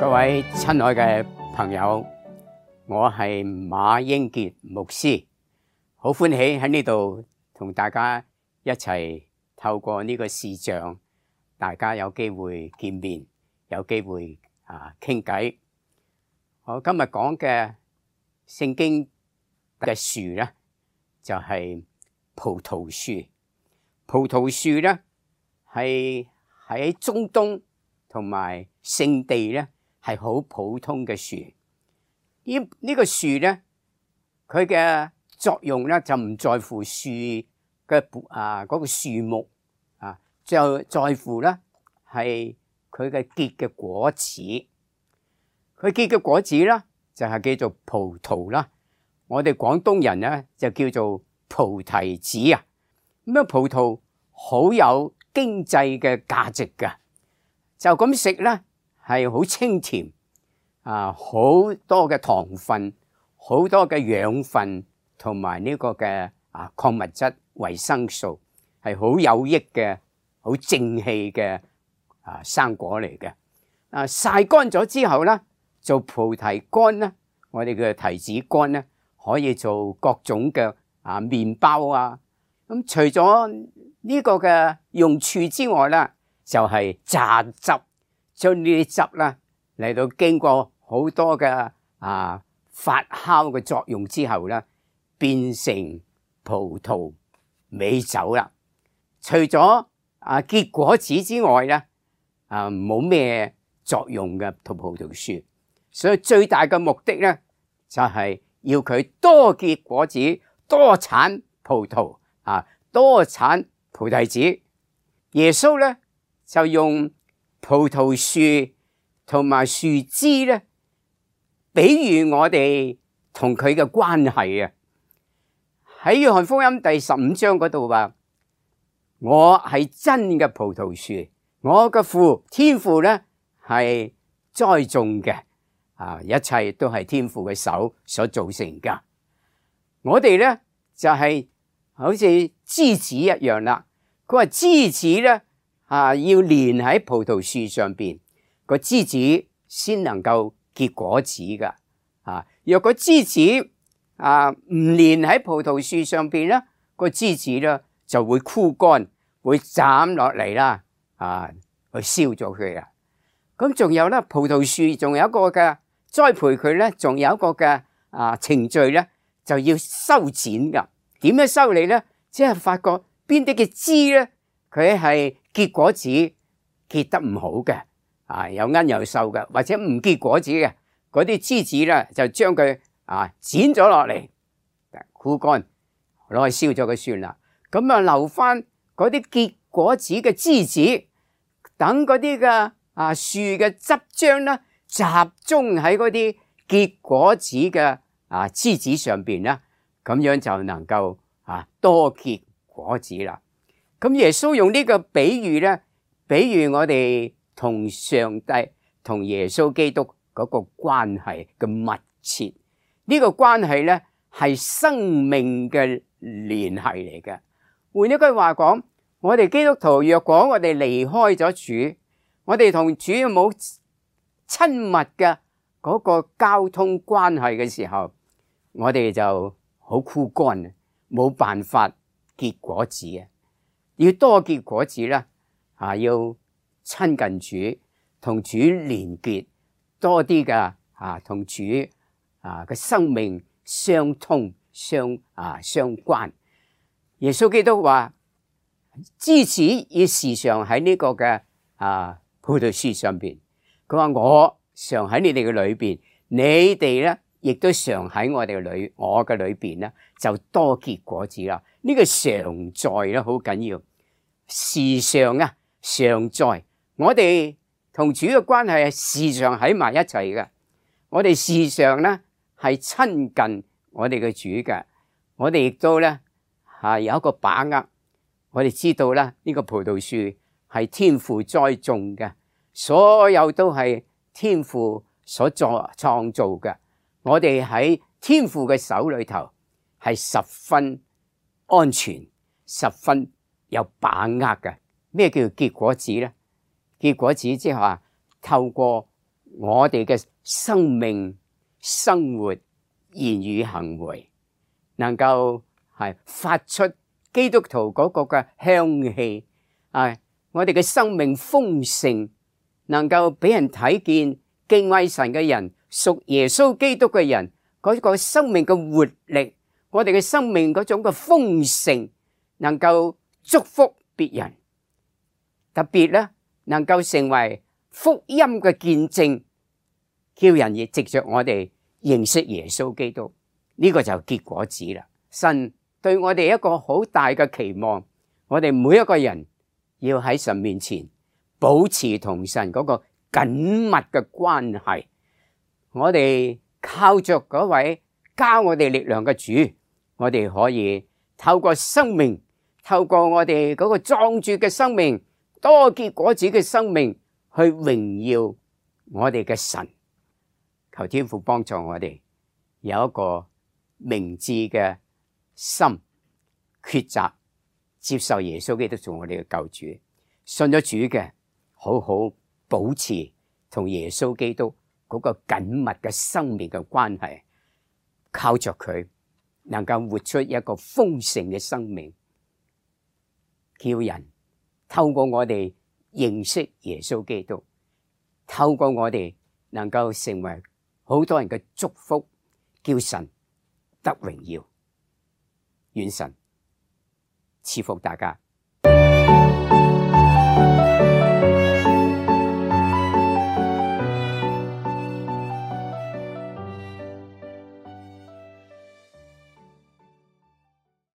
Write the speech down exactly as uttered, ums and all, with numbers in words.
各位親愛嘅朋友，我係馬英傑牧師，好歡喜喺呢度同大家一齊透過呢個視像，大家有機會見面，有機會啊傾偈。我今日講嘅聖經嘅樹咧，就係葡萄樹。葡萄樹咧係喺中東同埋聖地咧係好普通嘅樹。呢呢個樹咧，佢嘅作用咧就唔在乎樹嘅啊嗰個樹木啊，就在乎咧係佢嘅結嘅果子。佢結嘅果子咧就係叫做葡萄啦。我哋廣東人咧就叫做菩提子啊。咁啊，葡萄好有經濟嘅價值㗎，就咁食咧係好清甜啊，好多嘅糖分，好多嘅養分同埋呢個嘅啊礦物質、維生素，係好有益嘅、好正氣嘅啊生果嚟嘅。啊曬乾咗之後咧，做菩提乾咧，我哋嘅提子乾咧，可以做各種嘅啊麵包啊。咁除咗呢個嘅用處之外咧，就係榨汁，將呢啲汁咧嚟到經過好多嘅啊發酵嘅作用之後咧，變成葡萄美酒啦。除咗啊結果子之外咧，啊冇咩作用嘅葡葡萄樹，所以最大嘅目的咧就係要佢多結果子，多產葡萄啊，多產菩提子。耶穌咧就用葡萄樹同埋樹枝咧，比喻我哋同佢嘅關係啊。喺約翰福音第十五章嗰度話：我係真嘅葡萄樹，我嘅父天父咧係栽種嘅，啊，一切都係天父嘅手所造成噶。我哋咧就係好似枝子一樣啦。佢話枝子咧啊，要連喺葡萄樹上邊，個枝子先能夠結果子噶。啊，若個枝子啊唔連喺葡萄樹上邊咧，個枝子咧就會枯乾，會斬落嚟啦，啊，去燒咗佢啊。咁仲有咧，葡萄樹仲有一個嘅栽培佢咧，仲有一個嘅啊程序咧，就要修剪噶。點樣修理咧？即係發覺邊啲嘅枝咧，佢係結果子結得唔好嘅，啊有奀有瘦嘅，或者唔結果子嘅，嗰啲枝子咧就將佢啊剪咗落嚟，枯乾，攞去燒咗佢算啦。咁啊留翻嗰啲結果子嘅枝子，等嗰啲嘅啊樹嘅汁漿咧集中喺嗰啲結果子嘅啊枝子上邊啦，咁樣就能夠啊多結果子啦。咁耶穌用呢個比喻咧，比喻我哋同上帝同耶穌基督嗰個關係嘅密切。呢個關係咧係生命嘅聯繫嚟嘅。換一句話講，我哋基督徒若果我哋離開咗主，我哋同主冇親密嘅嗰個交通關係嘅時候，我哋就好枯乾，冇辦法結果子啊！要多結果子啦，啊，要親近主，同主連結多啲嘅啊，同主啊嘅生命相通相啊相關。耶穌基督話：枝子要時常喺呢個嘅啊葡萄樹上邊。佢話我常喺你哋嘅裏邊，你哋咧亦都常喺我哋嘅裏，我嘅裏邊咧就多結果子啦。呢、這個常在咧好緊要，時常啊常在。我哋同主嘅關係係時常喺埋一齊嘅，我哋時常咧係親近我哋嘅主嘅，我哋亦都咧係有一個把握，我哋知道咧呢、這個葡萄樹係天父栽種嘅，所有都係天父所作創造嘅，我哋喺天父嘅手裏頭係十分安全，十分有把握嘅。咩叫結果子咧？結果子即係話透過我哋嘅生命、生活、言語、行為，能夠係發出基督徒嗰個嘅香氣，啊！我哋嘅生命豐盛，能夠俾人睇見敬畏神嘅人、屬耶穌基督嘅人嗰個生命嘅活力，我哋嘅生命嗰種嘅豐盛，能夠祝福別人，特別咧能夠成為福音嘅見證，叫人亦藉着我哋認識耶穌基督，呢個就結果子啦。神對我哋一個好大嘅期望，我哋每一個人要喺神面前保持同神嗰個緊密嘅關係。我哋靠着嗰位加我哋力量嘅主，我哋可以透過生命，透過我哋嗰個壯著嘅生命，多結果子嘅生命，去榮耀我哋嘅神。求天父幫助我哋有一個明智嘅心，抉擇接受耶穌基督做我哋嘅救主，信咗主嘅好好保持同耶穌基督嗰個緊密嘅生命嘅關係，靠着佢能夠活出一個豐盛嘅生命，叫人透過我哋認識耶穌基督，透過我哋能夠成為好多人嘅祝福，叫神得榮耀。願神賜福大家。